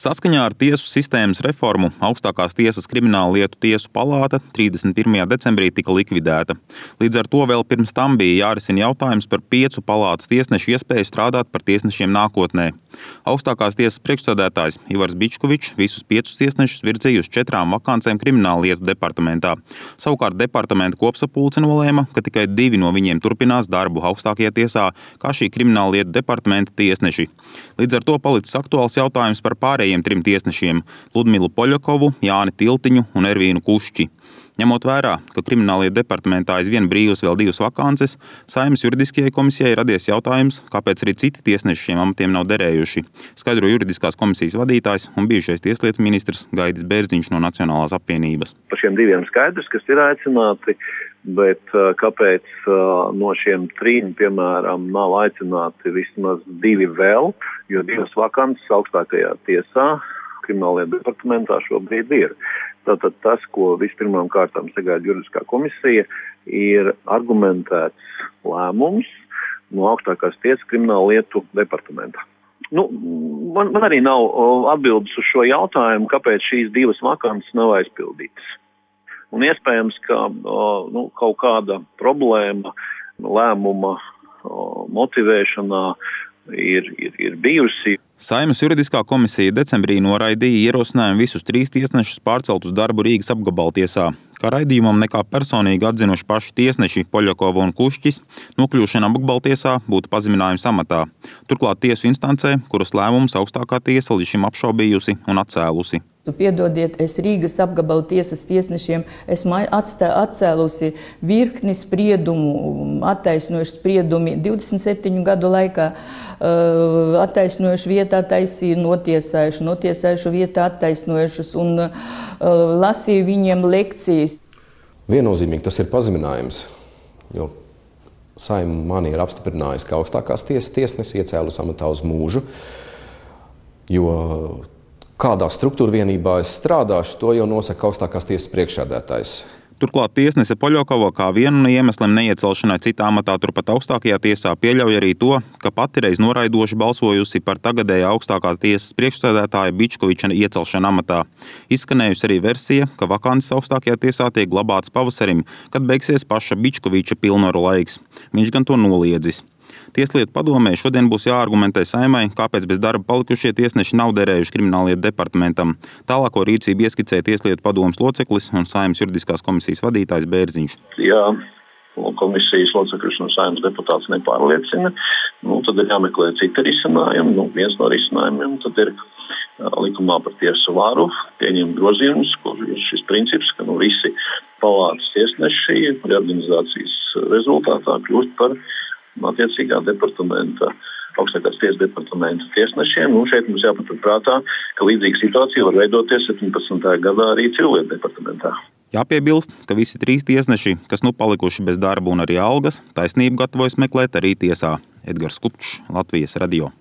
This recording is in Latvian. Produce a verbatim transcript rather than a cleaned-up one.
Saskaņā ar tiesu sistēmas reformu augstākās tiesas krimināla lietu tiesu palāta trīsdesmit pirmajā decembrī tika likvidēta. Līdz ar to vēl pirms tam bija jārisina jautājums par piecu palātas tiesnešu iespēju strādāt par tiesnešiem nākotnē. Augstākās tiesas priekšsēdētājs Ivars Bičkovičs visus piecus tiesnešus virzīja uz četrām vakancēm krimināla lietu departamentā. Savukārt departamenta kopsapulce nolēma, ka tikai divi no viņiem turpinās darbu augstākajā tiesā, kā šī krimināla lietu departamenta tiesneši. Līdz ar to palicis aktuāls jautājums par pārējiem trim tiesnešiem – Ludmilu Poļakovu, Jāni Tiltiņu un Ervīnu Kušķi. Ņemot vērā, ka krimināllietu departamentā aizvien brīvas vēl divas vakances, Saeimas juridiskajai komisijai radies jautājums, kāpēc arī citi tiesneši šiem amatiem nav derējuši, skaidro juridiskās komisijas vadītājs un bijušais tieslietu ministrs Gaidis Bērziņš no Nacionālās apvienības. Par šiem diviem skaidrs, kas ir aicināti, bet kāpēc no šiem trim, piemēram, nav aicināti vismaz divi vēl, jo divas vakances augstākajā tiesā krimināllietu departamentā šobrīd ir. Tātad tas, ko vispirmām kārtām sagaida juridiskā komisija, ir argumentēts lēmums no augstākās tiesas krimināla lietu departamentā. Nu, man, man arī nav atbildes uz šo jautājumu, kāpēc šīs divas vakances nav aizpildītas. Un iespējams, ka nu, kaut kāda problēma lēmuma motivēšanā ir, ir, ir bijusi. Saeimas juridiskā komisija decembrī noraidīja ierosinājumu visus trīs tiesnešus pārcelt uz darbu Rīgas apgabaltiesā. Kā raidījumam nekā personīgi atzinuši paši tiesneši Poļakova un Kušķis, nokļūšana apgabaltiesā būtu pazeminājums amatā. Turklāt tiesu instancē, kuras lēmumus augstākā tiesa līdz šim apšaubījusi un atcēlusi. Piedodiet, es Rīgas apgabala tiesas tiesnešiem esmu atcēlusi virkni spriedumu, attaisnojuši spriedumi divdesmit septiņu gadu laikā, attaisnojuši vietā taisīju, notiesājuši, notiesājuši vietā attaisnojušas un lasīju viņiem lekcijas. Viennozīmīgi tas ir pazeminājums, jo Saeima mani ir apstiprinājusi, ka augstākās tiesas tiesnesi iecēlus amatā uz mūžu, jo kādā struktūra vienībā es strādāšu, to jau nosaka augstākās tiesas priekšsēdētājs. Turklāt tiesnese Poļakova kā vienu no iemesliem neiecelšanai citā amatā turpat augstākajā tiesā pieļauj arī to, ka pati reiz noraidoši balsojusi par tagadējā augstākās tiesas priekšsēdētāja Bičkoviča iecelšanu amatā. Izskanējusi arī versija, ka vakances augstākajā tiesā tiek glabātas pavasarim, kad beigsies paša Bičkoviča pilnvaru laiks. Viņš gan to noliedzis. Tieslietu padomē šodien būs jāargumentē Saeimai, kāpēc bez darba palikušie tiesneši nav derējuši krimināllietu departamentam. Tālāko rīcību ieskicē Tieslietu padomes loceklis un Saeimas juridiskās komisijas vadītājs Bērziņš. Jā, komisijas loceklis un Saeimas deputāts nepārliecina, nu, tad ir jāmeklē citi risinājumi. Nu, viens no risinājumiem tad ir likumā par tiesu varu pieņemt grozījumus, kur ir šis princips, ka nu, visi palātas tiesneši reorganizācijas rezultātā kļūst par attiecīgā departamenta, augstākās tiesas departamenta tiesnešiem. Un šeit mums jāpatur prātā, ka līdzīga situācija var veidoties septiņpadsmitajā gadā arī civilietu departamentā. Jāpiebilst, ka visi trīs tiesneši, kas nu palikuši bez darba un arī algas, taisnību gatavojas meklēt arī tiesā. Edgars Kupčs, Latvijas radio.